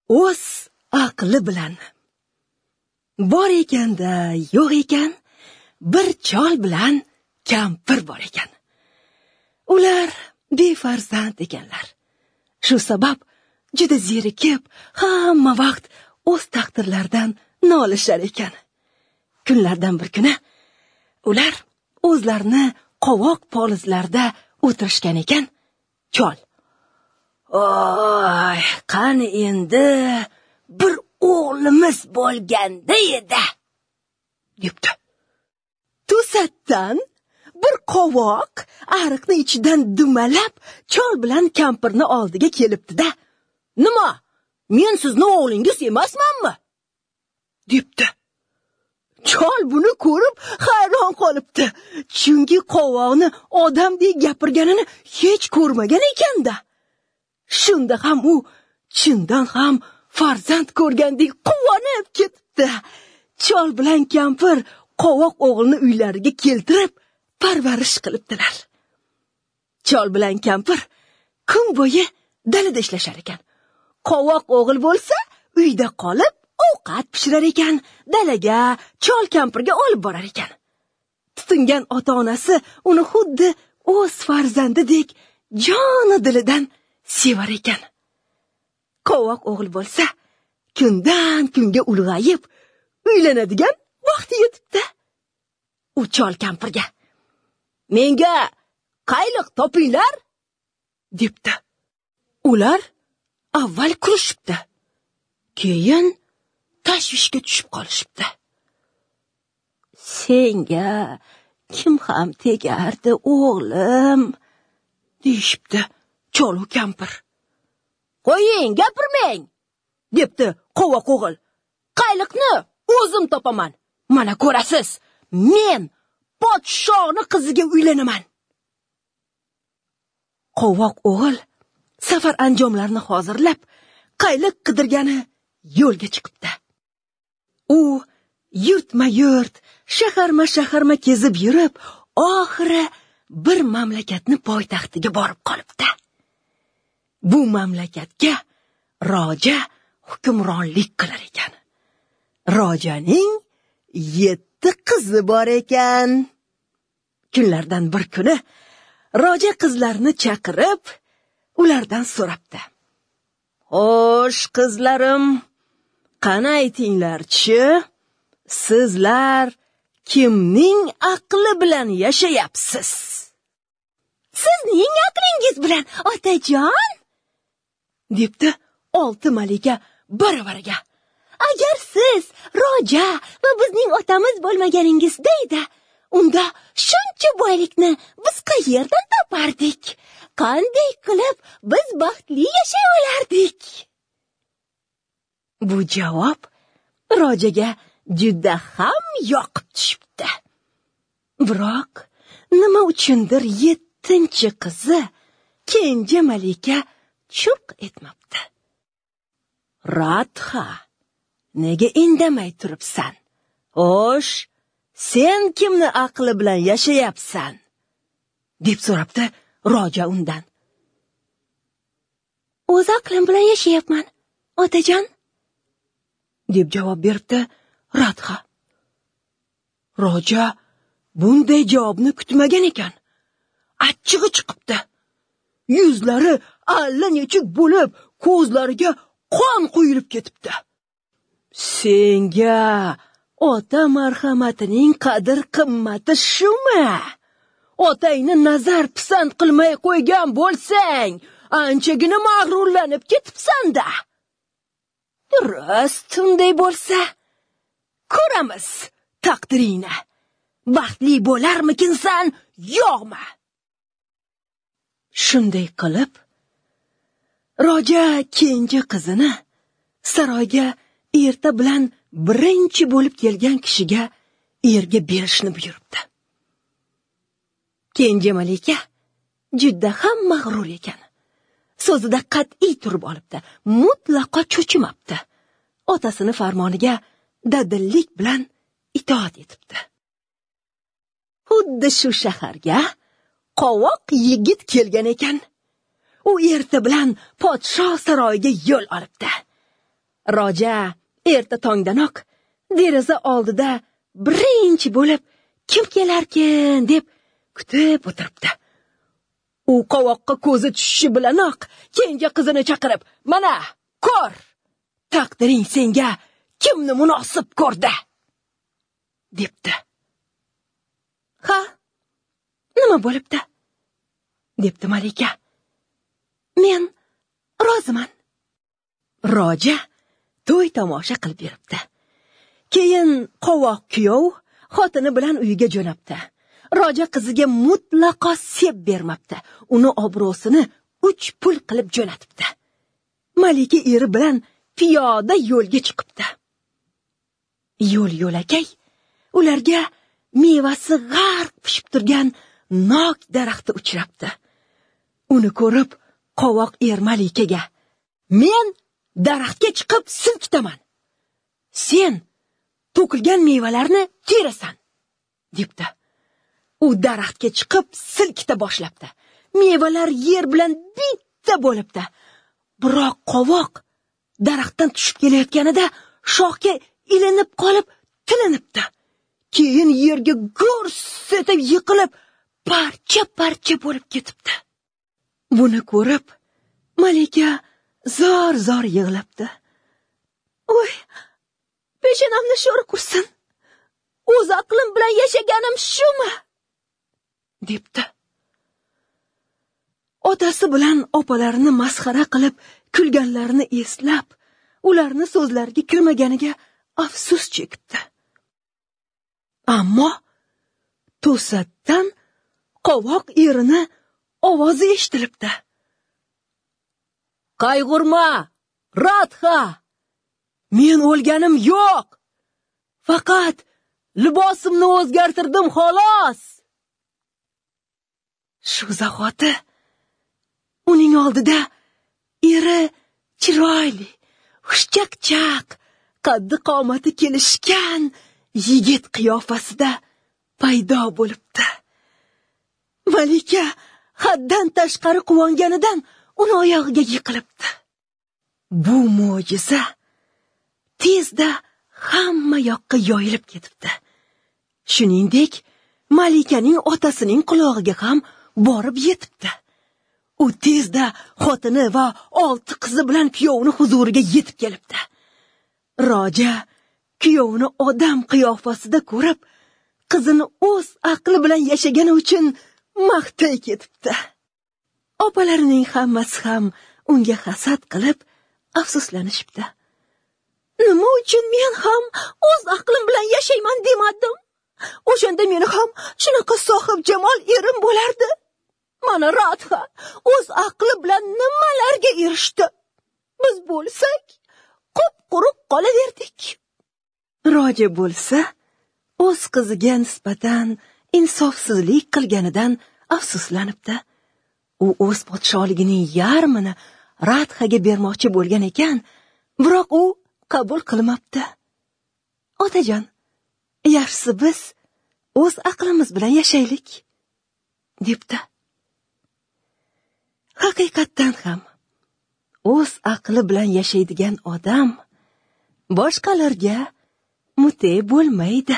O'z aqli bilan. Bor ekanda, yo'q ekan, bir chol bilan kampir bor ekan. Ular befarzand ekanlar. Shu sabab juda zerikib, hamma vaqt o'z taqdirlaridan nolishar ekan. Kunlardan bir kuni ular o'zlarini qovoq polizlarida o'tirishgan ekan. Chol: "Oy, qani endi bir o'g'limiz bo'lganda edi", debdi. To'satdan bir qovoq ariqni ichidan dumalab chol bilan kampirni oldiga kelibdi-da, "Nima, men sizni o'g'lingiz emasmanmi?" debdi. Chol buni ko'rib hayron qolibdi, chunki qovoqni odamdek gapirganini hech ko'rmagan ekanda. Shunda ham u chindan ham farzand ko'rgandek quvonib ketibdi. Chol bilan kampir qovoq o'g'ilni uylariga keltirib parvarish qilibdilar. Chol bilan kampir kun bo'yi dalada ishlashar ekan. Qovoq o'g'il bo'lsa uyda qolib ovqat pishirar ekan, dalaga chol kampirga olib borar ekan. Tutingan ota-onasi uni xuddi o'z farzandidek joni dilidan sevar ekan. Qovoq o'g'il bo'lsa kundan kunga ulg'ayib uylanadigan vaqti yetibdi. U chol kampirga: "Menga qayliq topinglar", debdi. Ular avval kulishibdi, keyin tashvishga tushib qolishibdi. "Senga kim ham tegardi, o'g'lim?" deyishibdi chol u kampir. "Qo'ying, gapirmang", debdi qovoq o'g'il. "Qayliqni o'zim topaman. Mana ko'rasiz, men podshoni qiziga uylanaman." Qovoq o'g'il safar anjomlarini hozirlab, qayliq qidirgani yo'lga chiqibdi. U yurtma-yurt, shaharma-shaharma kezib yurib, oxiri bir mamlakatni poytaxtiga borib qolibdi. Bu mamlakatga roja hukmronlik qilar ekan. Rojaning 7 qizi bor ekan. Kunlardan bir kuni roja qizlarni chaqirib, ulardan so'rabdi: "Xo'sh, qizlarim, qani aytinglar-chi, sizlar kimning aqli bilan yashayapsiz?" "Sizning aqlingiz bilan, otajon", debdi 6 malika baravariga. "Agar siz roja va bizning otamiz bo'lmaganingizda edi, unda shuncha boylikni biz qayerdan topardik? Qanday qilib biz baxtli yashay olardik?" Bu javob rojaga juda ham yoqib tushibdi. Biroq nima uchundir 7-chi qizi kenja malika churq etmabdi. "Radha, nega indamay turibsan? Xo'sh, sen kimni aqli bilan yashayapsan?" deb so'rabdi roja undan. "O'z aqlim bilan yashayapman, otajon", deb javob beribdi Radha. Roja bunday javobni kutmagan ekan. Achchig'i chiqibdi. Yuzlari allanechuk bo'lib, ko'zlariga qon quyilib ketibdi. "Senga ota marhamatining qadr-qimmati shumi? Otangni nazar pisand qilmay qo'ygan bo'lsang, anchagina mag'rurlanib ketibsan-da. Rost unday bo'lsa, ko'ramiz taqdiringni. Baxtli bo'larmikinsan, yo'qmi?" Shunday qilib, roja kenja qizini saroyga erta bilan birinchi bo'lib kelgan kishiga erga berishni buyuribdi. Kenja malika juda ham mag'rur ekan. So'zida qat'iy turib olibdi, mutlaqo cho'chimabdi. Otasini farmoniga dadillik bilan itoat etibdi. Xuddi shu shaharga qovoq yigit kelgan ekan. U erta bilan podsho saroyiga yo'l olibdi. Roja erta tongdanoq deraza oldida birinchi bo'lib kim kelarkin deb kutib o'tiribdi. U qovoqqa ko'zi tushishi bilanoq kenja qizini chaqirib, "Mana, ko'r, taqdiring senga kimni munosib ko'rdi?" debdi. "Ha, nima bo'libdi?" debdi Malika. "Men roziman." Roja to'y tomosha qilib beribdi. Keyin qovoq kuyov xotini bilan uyiga jo'nabdi. Roja qiziga mutlaqo sep bermabdi. Uni obro'sini 3 pul qilib jo'natibdi. Malika eri bilan piyoda yo'lga chiqibdi. Yo'l yo'lakay ularga mevasi g'arq pishib turgan nok daraxti uchrabdi. Uni ko'rib qovoq er Malikaga: "Men daraxtga chiqib silkitaman. Sen to'kilgan mevalarni terasan" debdi. U daraxtga chiqib silkita boshlabdi. Mevalar yer bilan bitta bo'libdi. Biroq qovoq daraxtdan tushib kelayotganida shoxga ilinib qolib tilinibdi. Keyin yerga gurs etib yiqilib parcha-parcha bo'lib ketibdi. Buni ko'rib Malika zor-zor yig'labdi. "Oy, peshonamni sho'ri qursin. O'z aqlim bilan yashaganim shumi?" debdi. Otasi bilan opalarini masxara qilib kulganlarini eslab, ularni so'zlariga kirmaganiga afsus chekibdi. Ammo to'satdan qovoq erini ovozi eshitilibdi. "Qayg'urma, Radha! Men o'lganim yo'q. Faqat libosimni o'zgartirdim xolos." Shu zahoti uning oldida eri chiroyli, xushchaqchaq, qaddi qomati kelishgan yigit qiyofasida paydo bo'libdi. Malika haddan tashqari quvonganidan uni oyog'iga yiqilibdi. Bu mo'jiza tezda hamma yoqqa yoyilib ketibdi. Shuningdek, Malikaning otasining qulog'iga ham borib yetibdi. U tezda xotini va 6 qizi bilan kuyovini huzuriga yetib kelibdi. Roja kuyovini odam qiyofasida ko'rib, qizini o'z aqli bilan yashagani uchun maqtay ketibdi. Opalarining hammasi ham unga hasad qilib afsuslanishibdi. "Nima uchun men ham o'z aqlim bilan yashayman demadim? O'shanda meni ham shunaqa sohib jamol erim bo'lardi. Mana Radha o'z aqli bilan nimalarga erishdi. Biz bo'lsak, qup-quruq qolaverdik." Roja bo'lsa, o'z qiziga nisbatan insofsizlik qilganidan afsuslanibdi. U o'z podsholigining yarmini Radhaga bermoqchi bo'lgan ekan, biroq u qabul qilmabdi. "Otajon, yaxshisi biz o'z aqlimiz bilan yashaylik" debdi. Haqiqatdan ham o'z aqli bilan yashaydigan odam boshqalarga mute bo'lmaydi.